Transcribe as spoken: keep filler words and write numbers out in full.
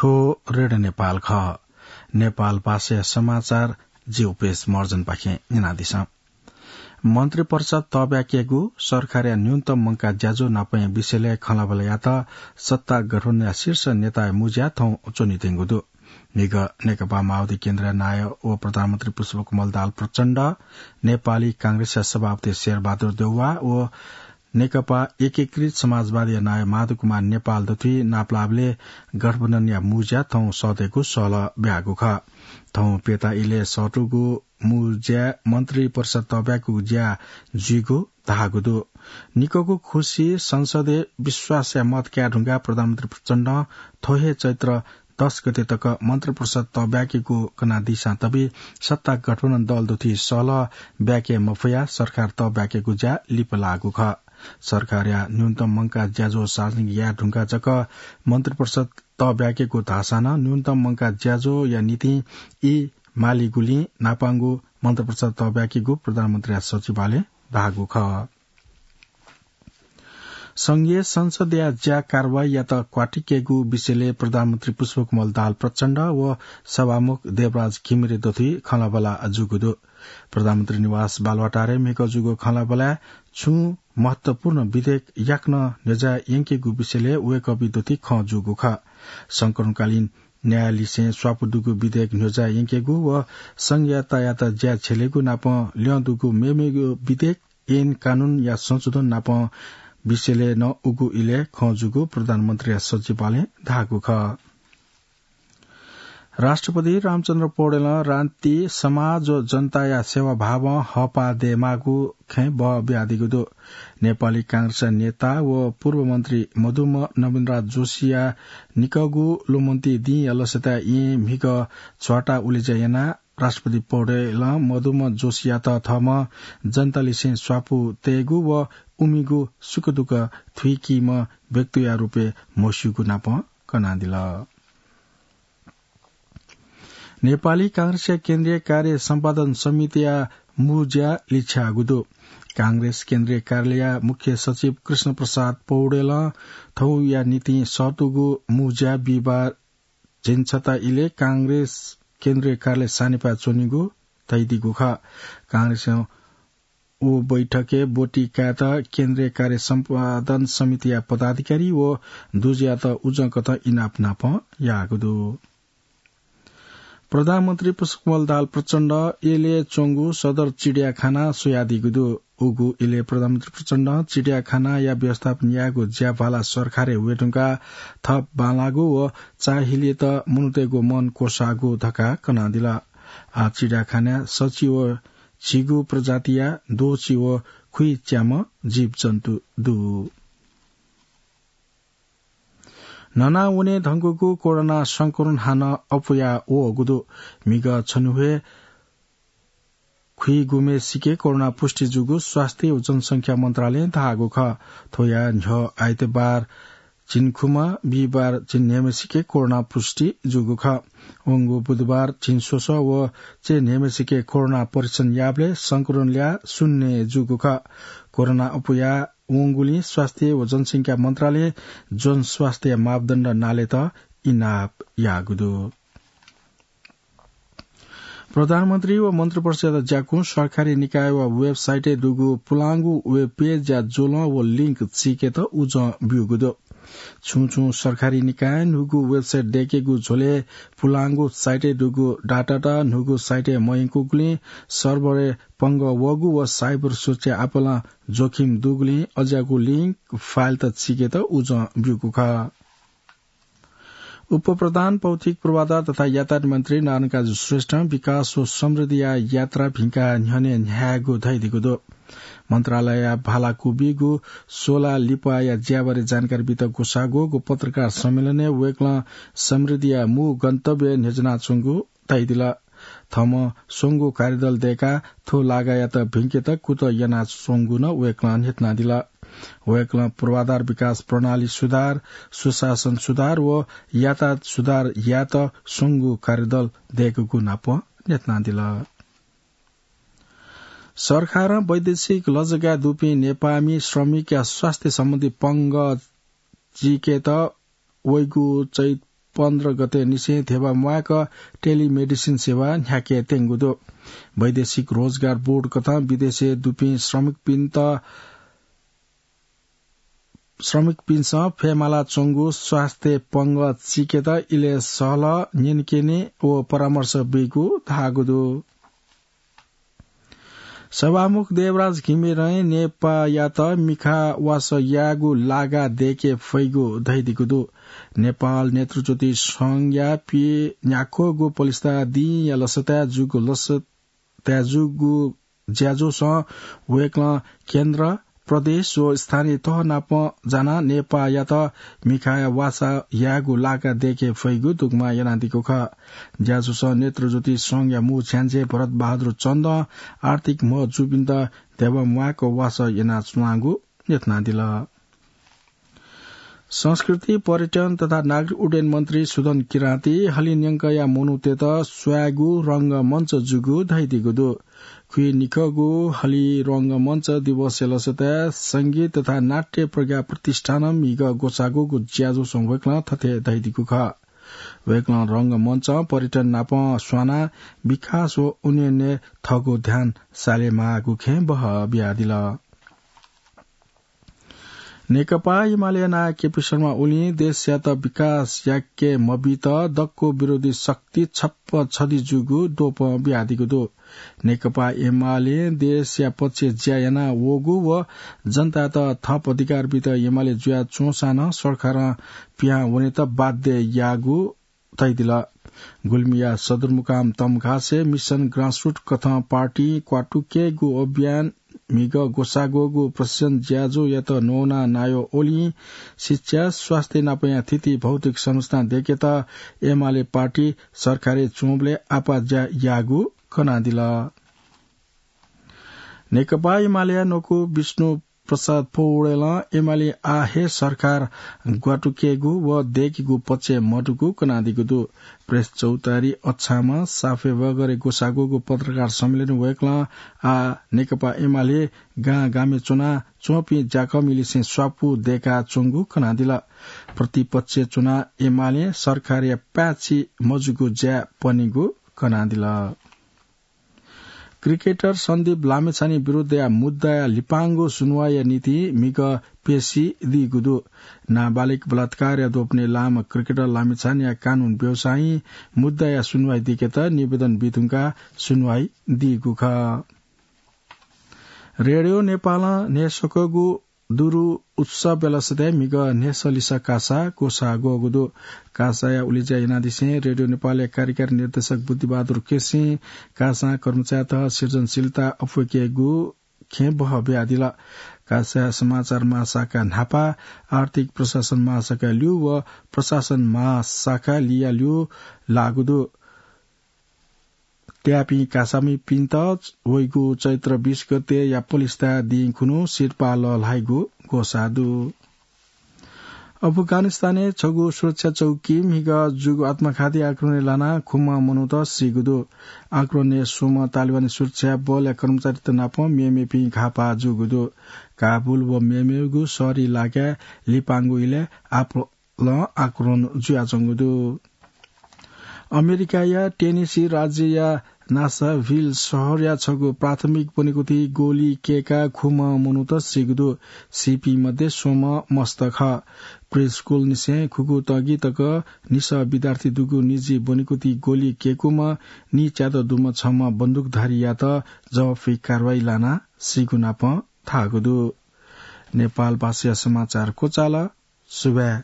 थ्व रेडियो नेपाल खः। नेपाल भाषाया समाचार जि उपेश महर्जनपाखें न्यनादिसँ। मन्त्रिपरिषद तःब्याकेगु, सरकारया न्यूनतम मंकाः ज्याझ्वः नापंया विषयलय् खँल्हाबल्हा यायेत सत्ता गठबन्धनया शीर्ष नेताया मुँज्या थौं च्वनेत्यंगु दु। म्हिगः नेकपा माओवादी केन्द्रया नायः व प्रधानमन्त्री पुष्पकमल दाहाल प्रचण्ड, नेपाली कांग्रेसया सभापति शेरबहादुर देउवा व नेकपा एकीकृत समाजवादीया नायः माधव कुमार नेपाल दथुइ नापलाःबलय् गठबन्धनया मुँज्या थौं सःतेगु सहलह ब्याःगु खः। थौं प्यता इलय् सःतूगु मुँज्याय् मन्त्रिपरिषद तःब्याकेगु ज्या जुइगु धाःगु दु। निक्वःगु खुसी संसदय् विश्वासया मत काये धुंकाः प्रधानमन्त्री प्रचण्डं थ्व हे चैत्र दस गते तक मन्त्रिपरिषद तःब्याकेगु कनादीसां तबि सत्ता गठबन्धन दल दथुइ सहलह ब्याके मफयाः सरकार तःब्याकेगु ज्या लिपा लाःगु खः। सरकारया न्यूनतम मंकाः ज्याझ्वः सार्वजनिक याये धुंकाः जक मन्त्रिपरिषद तःब्याकेगु धाःसां नं न्यूनतम मंकाः ज्याझ्वःया निंतिं ई मालीगुलिं न्हापांगु मन्त्रिपरिषद तःब्याकेगु प्रधानमन्त्रीया सचिवालयं धाःगु खः। संघीय संसदया ज्या कारवाहीयात क्वातिकेगु विषयलय् प्रधानमन्त्री पुष्पकमल दाहाल प्रचण्ड व सभामुख देवराज घिमिरे दथुइ खँल्हाबल्हा जूगु दु। प्रधानमन्त्री निवास बालुवाटारय् म्हिगः जूगु खँल्हाबल्हाय् छुं महत्वपूर्ण विधेयक याकनं न्ह्यज्याः यंकेगु विषयलय् वय्कःपिं दथुइ खँ जूगु खः। संकलनकालीन न्यायाधीशं स्वापू दुगु विधेयक न्ह्यज्याः यंकेगु व संघीयतायात ज्या छ्यलेगु नाप ल्यं दुगु मेमेगु विधेयक, ऐन कानूनया संशोधन नाप विषयलय् नं उगु इलय् खँ जूगु प्रधानमन्त्रीया सचिवालयं धाःगु खः। राष्ट्रपति रामचन्द्र पौडेलं राष्ट्रिय समाज व जनताया सेवाभावं हःपाः दयेमाःगु खँय् बः बियादीगु दु। नेपाली कांग्रेसया नेता व पूर्व मन्त्री मदुम्ह नवीनराज जोशीया निकःगु लुमन्ति दिंया लसताय् येँ म्हिगः झ्वाता उलेज्या यानाः राष्ट्रपति पौडेलं मदुम्ह जोशीयात थःम्हं जनतालिसें स्वापू तयेगु व उमिगु सुखदुःख थुइकीम्ह व्यक्तिया रूपय् म्हस्यूगु नाप कनादिल। नेपाली कांग्रेसया केन्द्रीय कार्य सम्पादन समितिया मुँज्या लिछ्याःगु दु। कांग्रेस केन्द्रीय कार्यालयया मुख्य सचिव कृष्ण प्रसाद पौडेलं थौंया निंतिं सःतूगु मुँज्या बिहिबार झिंछता इलय् कांग्रेस केन्द्रीय कार्यालय सानिपाय् च्वनीगु धयादीगु खः। कांग्रेसं व बैठकय् ब्वति कायेत केन्द्रीय कार्य सम्पादन समितिया पदाधिकारी व दुजःयात उजंकथं इनाप नाप याःगु दु। प्रधानमन्त्री पुष्पकमल दाहाल प्रचण्डं यलय् च्वंगु सदर चिडियाखाना स्वयादीगु दु। उगु इलय् प्रधानमन्त्री प्रचण्डं चिडियाखानाया व्यवस्थापन यायेगु ज्याभाला सरकारय् वये धुंकाः थप बांलाःगु व चाःहिलय्त मनूतय्गु मन क्वसाःगु धकाः कनादिल। आः चिडियाखानाय् सछि व झिगू प्रजातिया द्वःछि व खुइच्याम्ह जीवजन्तु दु। न्हना वने धुंकूगु कोरोना संक्रमण हानं अप्वया वःगु दु। म्हिगः छन्हुय् खुइगुम्हेसिके कोरोना पुष्टि जूगु स्वास्थ्य व जनसंख्या मन्त्रालयं धाःगु खः। थ्वया न्ह्यः आइतबार झिंखुम्ह, बिहिबार झिंन्हय्म्हेसिके कोरोना पुष्टि जूगु खः। वंगु बुधबार झिंस्वसः व चय्न्हय्म्हेसिके कोरोना परीक्षण याःबलय् संक्रमण ल्याः शून्य जूगु खः। कोरोना अप्वया वंगुलिं स्वास्थ्य व जनसंख्या मन्त्रालयं जनस्वास्थ्य मापदण्ड नालेत इनाप याःगु दु। प्रधानमन्त्री व मन्त्रिपरिषदया ज्याकुं सरकारी निकाय व वेबसाइटय् दुगु पुलांगु वेब पेजया ज्वलं व लिंक चीकेत उजं ब्यूगु दु। छुं छुं सरकारी निकायं न्हूगु वेबसाइट दय्केगु झ्वलय् पुलांगु साइटय् दुगु डाटात न्हूगु साइटय् मयंकूगुलिं सर्भरय् पंगः वःगु व साइबर सुरक्षा आपालं जोखिम दुगुलिं अज्याःगु लिंक फाइलत चीकेत उजं ब्यूगु खः। उपप्रधान भौतिक पूर्वाधार तथा यातायात मन्त्री नारायणकाजी श्रेष्ठं विकास व समृद्धिया यात्रा भिंकाः न्ह्यःने न्ह्यायेगु धयादीगु दु। मन्त्रालयया भाला क्वबीगु सोला लिपाया ज्याबारे जानकारी बीत ग्वसाः ग्वःगु पत्रकार सम्मेलनय् वय्कलं समृद्धिया मू गन्तव्य न्ह्यज्यानाच्वंगु धयादिल। थःम्हं स्वंगू कार्यदल दय्काः थ्व लागायात भिंकेत कुतः यानाच्वंगु नं वय्कलं न्ह्यथनादिल। वय्कलं पूर्वाधार विकास प्रणाली सुधार, सुशासन सुधार व यातायात सुधार यायेत स्वंगू कार्यदल दय्कूगु नाप न्ह्यथनादिल। सरकारं वैदेशिक लजगाय् दुपिं नेपाःमि श्रमिकया स्वास्थ्य सम्बन्धी पंगः चीकेत वइगु चैत पन्ध्र गते निसें धेबा म्वायेक टेलिमेडिसिन सेवा न्ह्याके त्यंगु दु। वैदेशिक रोजगार बोर्ड कथं विदेशय् दुपिं श्रमिकपिन्त श्रमिकपिन्सं फयेमाला च्वंगु स्वास्थ्य पंगः चिकेत इलय् सहलह न्यनेकेने व परामर्श बीगु धाःगु दु। सभामुख देवराज घिमिरें नेपाःयात मिखावासः यायेगु लागा दयेके फइगु धइदिगु दु। नेपाल नेतृज्योति संघया पीन्याख्वःगु पलिस्था दिंया लसताय् जूगु लस तय् जूगु ज्याझ्वलय् वय्कलं केन्द्र, प्रदेश व स्थानीय तह नाप जानाः नेपाःयात मिखावासः यायेगु लागा दयेके फइगु दुग्मा यानादीगु खः। ज्याझ्वलय् नेतृज्योति संघया मू झ्याञ्झ्या भरत बहादुर चन्दं आर्थिक म्ह जूपिन्त धेबा म्वायेक वासः यानाच्वनागु न्ह्यथनादिल। संस्कृति, पर्यटन तथा नागरिक उड्डयन मन्त्री सुदन किराँती हलिंन्यंकया मनूतय्त स्वयेगु रंगमञ्च जूगु धइदीगु दु। खुइनिखःगु हलिं रंगमञ्च दिवसया लसताय् संगीत तथा नाट्य प्रज्ञा प्रतिष्ठानं म्हिगः ग्वसाःगूगु ज्याझ्वलय् वय्कलं थथे धइदीगु खः। वय्कलं रंगमञ्चं पर्यटन नाप स्वानाः विकास व उन्नयनय् थःगु ध्यान सालेमाःगु खँय् बहः बियादिल। नेकपा एमाले नायः केपी शर्मा ओलीं देशयात विकास याके मबीत दक्व विरोधी शक्ति छप्प छधी जूगु द्वपं बियादीगु दु। नेकपा एमालें देशया पक्षय् ज्या याना वःगु व जनतायात थप अधिकार बीत एमाले जुया च्वंसां नं सरकारं पिहां वनेत बाध्य याःगु तइदिल। गुल्मीया सदरमुकाम तमघासय् मिशन ग्रासरुट कथं पार्टी क्वातुकेगु अभियान म्हिगः ग्वसाःग्वःगु प्रशिक्षण ज्याझ्वःयात नवानाः नायः ओलीं शिक्षा, स्वास्थ्य नापंया थीथी भौतिक संरचना दय्केत एमाले पार्टी सरकारय् च्वंबलय् आपाः ज्या याःगु कनादिल। नेकपा एमालेया न्वकू विष्णु प्रसाद पौडेलं एमाले आः हे सरकार ग्वातुकेगु व दय्केगु पक्षय् मदुगु कनादीगु दु। प्रेस चौतारी अछामं साफे वगरे ग्वसाःग्वःगु पत्रकार सम्मेलनय् वय्कलं आः नेकपा एमाले गां गामय् च्वना च्वंपिं ज्याकःमिलिसें स्वापू दय्काच्वंगु कनादिल। प्रतिपक्षय् च्वनाः एमालें सरकारया पाय्छि मजूगु ज्या पनिगु कनादिल। क्रिकेटर सन्दीप लामिछाने विरुद्धया मुद्दाया लिपांगु सुनुवाइया निंतिं म्हिगः प्यसि दीगु दु। नाबालिग बलात्कारया द्वपनय् लाःम्ह क्रिकेटर लामिछानेया कानून व्यवसायीं मुद्दाया सुनुवाइ दीकेत निवेदन बीधुंकाः सुनुवाइ दीगु खः। रेडियो नेपालं न्हय्सकूगु दुरु उत्सवया लसताय् म्हिगः न्हय्सः लिसः कासा ग्वसाः ग्वःगु दु। कासाया उलेज्या यानादिसें रेडियो नेपालया कार्यकारी निर्देशक बुद्धिबहादुर केसीं कासां कर्मचारीत सृजनशीलता अप्वय्केगु खँय् बहः बियादिल। कासाया समाचार महाशाखा न्हापा, आर्थिक प्रशासन महाशाखा ल्यू व प्रशासन महाशाखा लिया ल्यू लाःगु दु। त्याःपिं कासामिपिन्त वइगु चैत्र बीस गतेया पलिस्था दिं खुन्हु सिरपाः लःल्हाइगु ग्वसाः दु। अफगानिस्तानय् छगू सुरक्षा चौकी म्हिगः जूगु आत्मघाती आक्रमणय् लानाः खुम्ह मनूत सीगु दु। आक्रमणय् स्वम्ह तालिबानी सुरक्षा बलया कर्मचारीत नाप मेमेपिं घाःपाः जूगु दु। काबुल व मेमेगु शहरी इलाकाय् लिपांगु इलय् आप लं आक्रमण जुयाच्वंगु दु। अमेरिकाया टेनेसी राज्यया नासभिल शहरया छगू प्राथमिक ब्वनेकुथि गोली कय्काः खुम्ह मनूत सीगु दु। सीपिं मध्ये स्वम्ह मस्त खः। प्रिस्कुलनिसें खुगू तगिं तक निसः विद्यार्थी दुगु निजी ब्वनेकुथि गोली कय्कूम्ह नीच्यादँ दुम्ह छम्ह बन्दुकधारीयात जवाफी कारवाही लानाः सीगु नाप धाःगु दु। नेपाल भाषाया समाचार क्वचाल। सुभाय्।